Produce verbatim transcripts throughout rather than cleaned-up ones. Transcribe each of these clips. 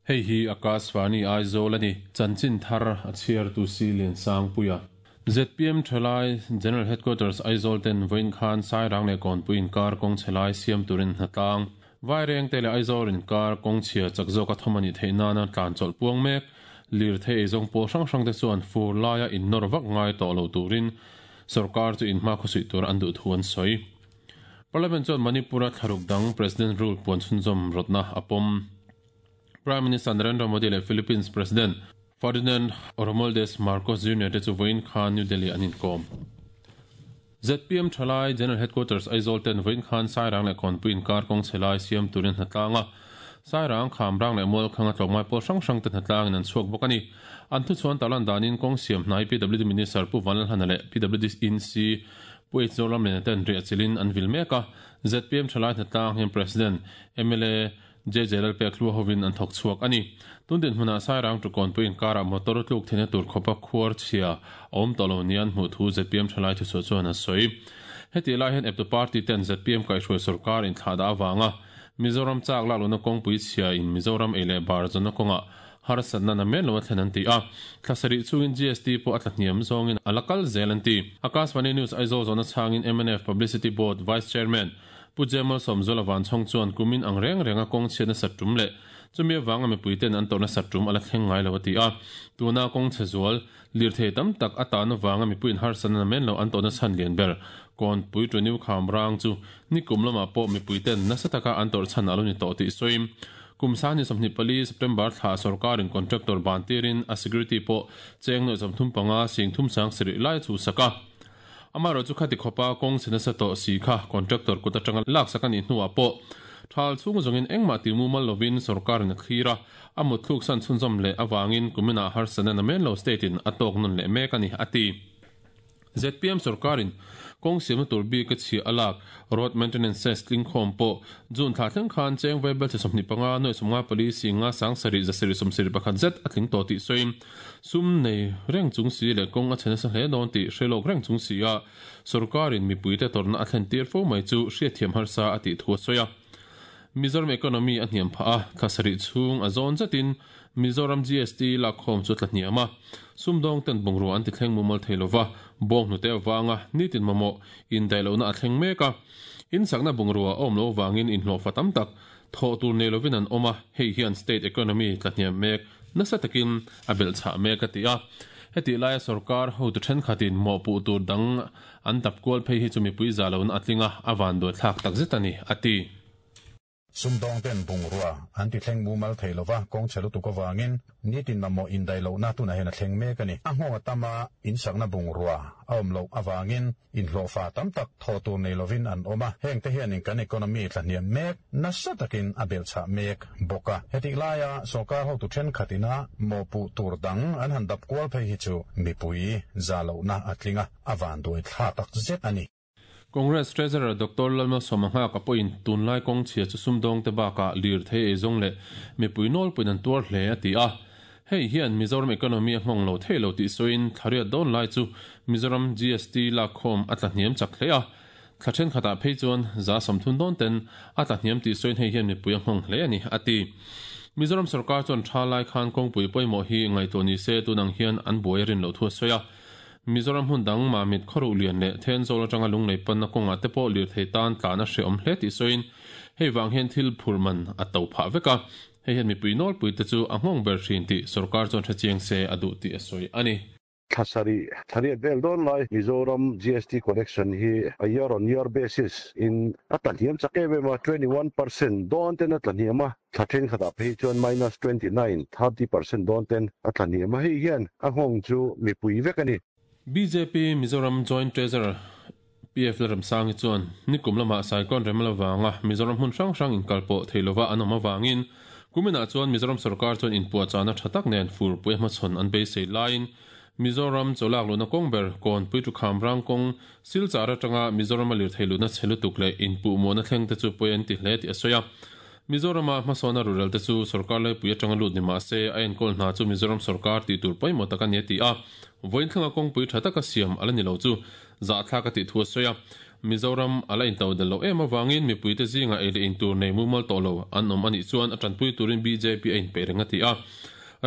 Hei hi Akashvani Aizawl a ni. Chanchin thar a chhiartu si Liansangpuia. Z P M Thalai General Headquarters Aizawl ten vawiin khan Sairang leh Kawnpui inkar kawng chhe lai siam turin hnatlang Vairengte leh Aizawl inkar kawng chhia chak zawka thawm a nih theih nana tlan chawlh puang mek. Lirthei eizawng pawl hrang hrang te chuan fur laia innawr vak ngai tawh lo turin sorkar chu inhma khawsuih tur an duh thu an sawi. Parliament chuan Manipur-a thlaruk dang President Rule puan chhunzawm rawtna a pawm. Prime Minister Narendra Modi leh Philippines President Ferdinand Romualdez Marcos Junior te chu vawiin khan New Delhi an inkawm. Z P M Thalai General Headquarters Aizawl ten vawiin khan Sairang leh Kawnpui inkar kawng chhe lai siam turin hnatlang a. Sairang, Khamrang leh Mualkhanga tlawmngai pawl hrang hrang te hnatlangin an chhuak bawk a ni. An thuchhuan tarlan danin kawng siam hnai P W D Minister Pu Vanlalhana leh P W D Inc Pu H Zoramliana ten riah chilhin an vil mek a. Z P M Thalai hnatlang hian President M L A J J Lalpek Hlua hovin an thawk chhuak a ni. Tun dinhmunah Sairang to Kawnpui inkarah motor tluk theihna tur khawpa khuar chhia a awm tawh lo nia an hmuh thu Z P M Thalai thuchhuah chuan a sawi. Heti lai hian eptu party ten Z P M kaihhruai sorkar inthlahdah avanga Mizoram chak lak lohna kawngpui chhia in Mizoram ei leh bar zawnna kawngah harsatna namen lo a thlen an ti a. Thla sarih chungin G S T pawh a tla hniam zawngin a la kal zel an ti. Akashvani News Aizawl zawhna chhangin M N F Publicity Board Vice Chairman Pu Jemal Sawmzuala Vanchhawng chuan kumin ang reng renga kawng chhiatna sat tum leh chumi awanga mipuiten an tawrhna sat tum a la thleng ngai lo a ti a. Tuna kawng chhe zual lirthei tam tak a tan awanga mipuiin harsatna namen lo an tawrhna chhan lian ber Kawnpui to New Khamrang chu nikum lamah pawh mipuiten nasa taka an tawrh chhan a lo ni tawh tih sawiin kum sangni sawmhnih pali September thla sorkarin contractor ban tirin a security pawh cheng nuai sawmthum panga sing thum sang sarih lai chu saka. Amaherawhchu chu khati khawpa kawng chhe nasa tawh si kha contractor kut atanga lak sak a nih hnuah pawh thal chhung zawngin engmah ti mumal lovin sorkarin a thlir a, a mutthluk san chhunzawm leh awangin kuminah harsatna namen lo state in a tawk nawn leh mek a ni a ti. Z P M sorkarin kawng siamna tur bik a chhia a lak road maintenance cess tling khawm pawh June thla thleng khan cheng vaibelchhe sawmhnih panga nuai sawmnga pali singa sang sarih za sarih sawmsarih pakhat zet a tling tawh tih sawiin sum nei reng chung si leh kawng a chhe nasa hle dawn tih hre lawk reng chung si a sorkarin mipuite tawrhna a thlen tir fo mai chu hriatthiam harsa a tih thu a sawi a. Mizoram economy a hniam phah a, thla sarih chhung a zawn zetin Mizoram G S T lak khawm chu tla hniam a. Sumdawng ten bungrua an ti thleng mumal thei lova, bawng hnute awanga nitin mamawh indaih lohna a thleng mek a. In sakna bungrua a awm lo awangin inhlawhfa tam tak thawh tur nei lovin an awm a, hei hian state economy tla hniam mek nasa takin a belhchhah mek a ti a. Heti laia sorkar hotu thenkhatin mawhpuh tur dang an dap kual phei hi chu mipui za lohna a tling a, a vanduai thlak tak zet a ni a ti. Sumdawng ten bungrua an ti thleng mumal thei lova, kawng chhe lutuk awangin nitin mamawh indaih lohna tunah hian a thleng mek a ni. A nghawng a tam a, in sakna bungrua a awm loh awangin inhlawhfa tam tak thawh tur nei lovin an awm a, heng te hianin kan economy tla hniam mek nasa takin a belhchhah mek bawk a. Heti laia sorkar hotu thenkhatina mawhpuh tur dang an han dap kual phei hi chu mipui za lohna a tling a, a vanduai thlak tak zet a ni. Congress Treasurer Doctor Lalmalsawma Nghaka pawhin tunlai kawng chhia chu sumdawng te bakah lirthei eizawng leh mipui nawlpuiin an tuar hle a ti a. Hei hian Mizoram economy a nghawng lo thei lo tih sawiin thlariat dawn lai chu Mizoram G S T lak khawm a tla hniam chak hle a. Thla thenkhatah phei chuan za sawmthum dawn ten a tla hniam tih sawiin hei hian mipui a nghawng hle a ni a ti. Mizoram sorkar chuan tha lai khan kawngpui pawimawh hi ngaihtuah ni se tunang hian an buai a rin loh thu a sawi a. Mizoram hmun dang Mamit khawruh lian leh Thenzawl atanga lunglei panna kawngah te pawh lirthei tan tlan a hreawm hle tih sawiin hei vang hian thil phur man a to phah vek a. Hei hian mipui nawlpui te chu a nghawng ber thin tih sorkar chuan hrechiang se a duh tih a sawi a ni. Thla sarih thlariat vel dawn lai Mizoram G S T collection hi a year on year basis in a tla hniam chak em em a, twenty one percent dawn ten a tla hniam a, thla thenkhatah phei chuan minus twenty nine thirty percent dawn ten a tla hniam a, hei hian a nghawng chu mipui vek a ni. B J P Mizoram Joint Treasurer P F Lalremsangi chuan nikum lamah Cyclone Remal awanga Mizoram hmun hrang hrang inkalpawh thei lova an awm awangin kuminah chuan Mizoram sorkar chuan inpuahchahna tha tak nen furpui a hmachhawn an beisei laiin Mizoram chawlak luhna kawng ber Kawnpui to Khamrang kawng Silchar atanga Mizoram a lirthei luhna chhe lutuk leh inpuh muahna thleng te chu pawi an ti hle tih a sawi a. Mizorama hmasawna rural te chu sorkar laipui atanga lut ni mah se a enkawl hna chu Mizoram sorkar tih tur pawimawh tak a ni a ti a. Vawiin thlenga kawngpui tha taka siam ala ni lo chu zahthlak a tih thu a sawi a. Mizoram ala in to del lo em awangin mipui te zinga ei leh in tur nei mumal to lo an awm ani chuan a tanpui turin B J P a in pe renga ti a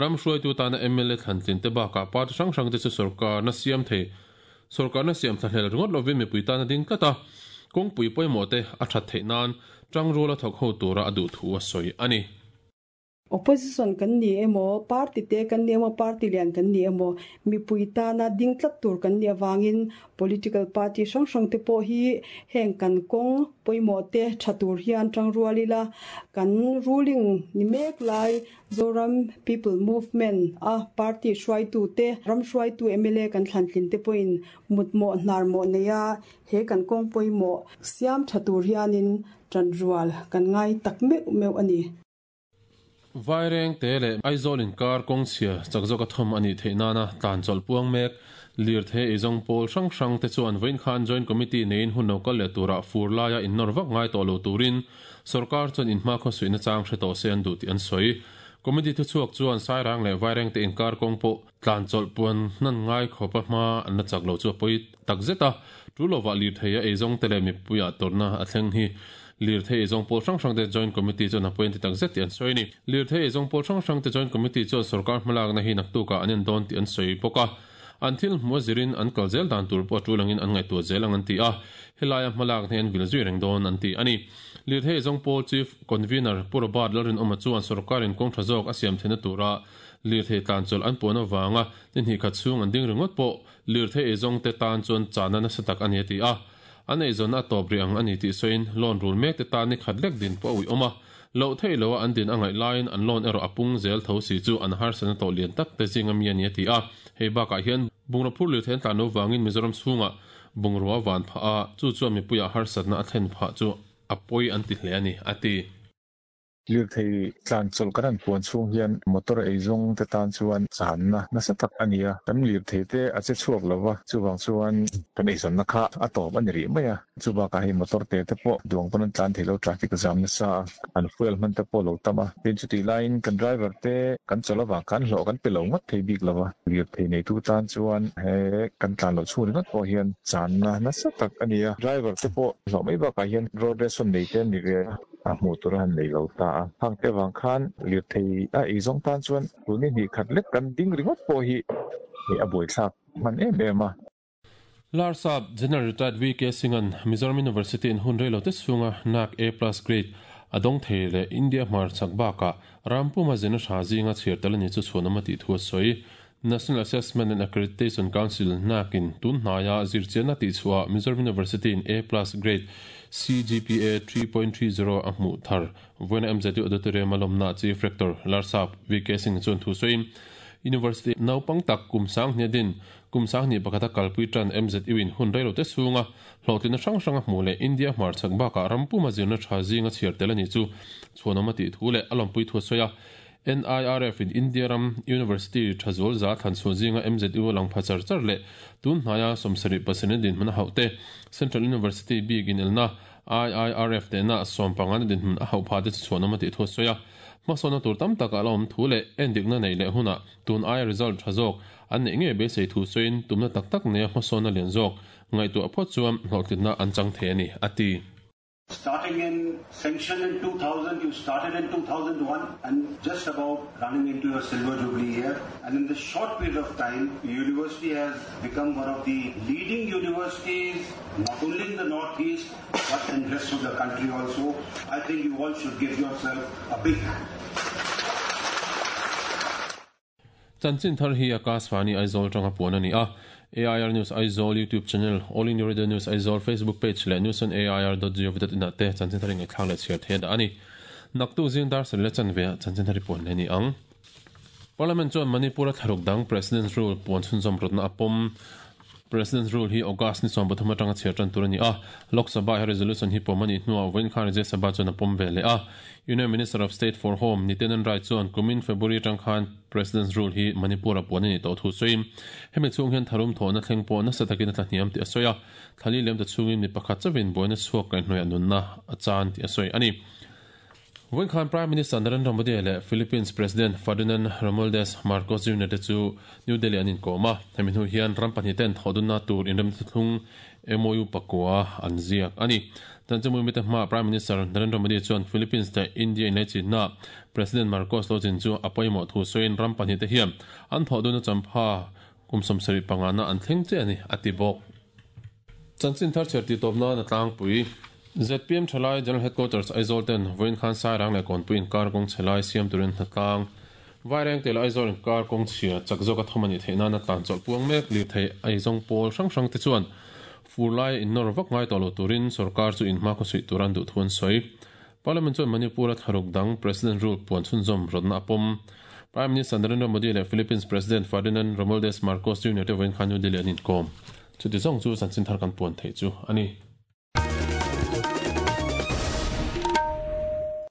ram hruai tu tana M L A thlantlin te baka party hrang hrang te chu sarkar na siam thei sarkar na siam thlahlel ringot lovin mipui tana ding tlata kawngpui pawimawh te a that theih nan tangruala thawk ho tura a duh thu a sawi ani. Opposition kan ni emo party te kan ni emo party lian kan ni emo mipui tana ding tlat tur kan ni awangin political party hrang hrang te pawh hi heng kan kawng pawimawh te tha tur hian tangrualila kan ruling ni mek lai Zoram People Movement a party hruaitu te ram hruaitu M L A kan thlantlin te pawhin mutmawh hnarmawh neia he kan kawng pawimawh siam tha tur hianin tanrual kan ngai tak meuh meuh ani. Vaireng te le Aizawl inkar kawng chhia chakzawk a thawm ani theih nana tlan chawlh puang mek lir the eizawng pawl hrang hrang te chuan vawiin khan joint committee neiin hun lo kal leh turah fur laia innawr vak ngai tawh lo turin sarkar chuan inhma khaw suihna chang hre tawh se an duh tih an sawi. Committee thu chhuak chuan Sairang leh Vaireng te inkar kawng pawh tlan chawlh puan hnan ngai khawpa hma an la chak lo chu a pawi tak zet a tu lova lir thei a eizawng te leh mipuiah tawrhna a thleng hi lir thei eizawng pawl hrang hrang te joint committee chuan a pawi an ti tak zet tih an sawi ni. Lir thei eizawng pawl hrang hrang te joint committee chuan sarkar hmalakna hi naktuka an en dawn tih an sawi bawk a an thil hmu zirin an kal zel dan tur pawh a tulangin an ngaihtuah zel ang an ti a helaia hmalak hne an vil zui reng dawn an ti ani. Lir thei eizawng pawl chief convener Pu Robert Lalrin Awma chuan sarkarin kawng tha zawk a siam theihna tura lir thei tlan chawlh an puan awanga ni hnih khat chhung an ding ringawt pawh lir thei eizawng te tan chuan chana nasa tak ani a ti a an eizawn a tawp ri ang ani tih sawiin loan rul mek te tan ni khat lek din pawh a ui awm a lo thei lo a an din a ngaih laiin an loan erawh a pung zel tho si chu an harsana tawh lian tak te zinga mi ani a ti a hei bakah hian bungraw phur lir thei an tlan lo wangin Mizoram chhungah bungrua van phah a chu chuan mipuiah harsatna a thlen phah chu a pawi an ti hle ani a ti. Lir thei tlan chawlh kan an puan chhung hian motor eizawng te tan chuan channa nasa tak ani a kan lir thei te a che chhuak lova chuwang chuan kan eizawnna kha a tawp ani rih mai a chubakah hei motor te te pawh duang pawn an tlan thei lo traffic jam nasa an fuel hman te pawh lo tam a tin chuti laiin kan driver te kan chawlh awang kan hlawh kan pe lo ngawt thei bik lova lir thei nei tu tan chuan he kan tlan lo chhung ringawt pawh hian channa nasa tak ani a driver te pawh hlawh mai bakah hian road ration nei te an ni ve a hmuh tur han nei lo ta a hang te wang khan lir thei a eizawng tan chuan tuni hnih khat lek kan ding ringawt pawh hi hei a buai thlak hman em em a. Larsap General Retired V K Singhan Mizoram University in hun reilo te chhunga N A C A plus grade adong thei le India hmar chak baka rampuma zena tha zinga chhir tal ani chu chhuanawm a tih thu a sawi. National Assessment and Accreditation Council N A C in tun hnaiah zirchianna tih chhuah Mizoram University in A plus grade C G P A three point three zero a hmuh thar vawiina M Z U auditorium a lawmna Chief Rector Larsap V K Singh chuan thu sawiin University naupang tak kum sang hnia din kum sang hnih pakhata kalpui tan M Z U in hun reilo te chhunga hlawhtlina hrang hrang a hmuh leh India hmar chak bakah rampuma zirna tha zinga chhiar tel ani chu chhuanawm a tih thu leh a lawmpui thu a sawi a. N I R F in India Ram University Thazol za thlan chu zinga M Z U lang pha char char le tun hnaia sawmsarih pasarih din hmun a hauh te Central University bik in elna I I R F te na sawm panga din hmun a hauh pha te chu chhuanawm a tih thu a sawi a hmasawna tur tam tak a la awm thu leh endikna nei leh huna tun ai result tha zawk an neih nge beisei thu sawiin tumna tak tak neia hmasawna lian zawk ngaihtuah phawt chuan hlawhtlinna an chang thei ani a ti. Starting in sanction in two thousand, you started in two thousand one and just about running into your silver jubilee year. And in this short period of time, university has become one of the leading universities, not only in the Northeast, but in the rest of the country also. I think you all should give yourself a big hand. Chanchin thar hi Akashvani Aizawl tanga puan ani a. A I R News Aizawl YouTube channel, All India Radio News Aizawl Facebook page le news on A I R dot gov dot in te chanchin thar ngai thlang le chhiar the da ani. Naktu zing dar sel le chan ve chanchin thar puan le ni ang. Parliament chuan Manipur tharuk dang President's Rule puan chhun zawm rawtna a pawm. President's Rule hi August ni sawm pathum atanga chhiar tan tur ani a. Lok Sabha he resolution hi pawm ani hnuah vawiin khan Rajya Sabha chuan a pawm ve le a. Union Minister of State for Home Nityanand Rai chuan kumin February atang khan President's Rule hi Manipur a puan ani tawh thu sawiin hemi chhung hian tharum thawhna thleng pawh nasa takin a tla hniam tih a sawi a thali lem ta chhungin mi pakhat chawin buaina chhuak kaihhnawih a nunna a chan tih a sawi ani. Vawiin khan Prime Minister Narendra Modi leh Philippines President Ferdinand Romualdez Marcos Junior te chu New Delhi an inkawm a hemi hnu hian ram pahnih ten thawhdunna tur inrem thlung M O U pakua an ziak ani. Chanchinmui mite hma Prime Minister Narendra Modi chuan Philippines te India in chinna President Marcos lo chin chu a pawimawh thu sawiin ram pahnih te hian an thawh duna champha kum sawmsarih pangana an thleng che ani a ti bawk. Chanchin thar chher ti tawpna na tlangpui Z P M Thalai General Headquarters Aizawl ten vawiin khan Sairang leh Kawnpui inkar kawng chhe lai siam turin hnatlang Vaireng tel Aizawl inkar kawng chhia chak zawk a thawm ani theih nana tlan chawlh puang mek lir thei aizawng pawl hrang hrang te chuan fur lai innawr vak ngai tawh lo turin sarkar chu inhma khaw suih turan duh thu an sawi. Parliament chuan Manipur a tharuk dang President rule puan chhunzawm rawtna a pawm. Prime Minister Narendra Modi leh Philippines President Ferdinand Romualdez Marcos Junior te vawiin khan New Delhi an inkawm. Chuti zawng chu chanchin thar kan puan theih chu ani.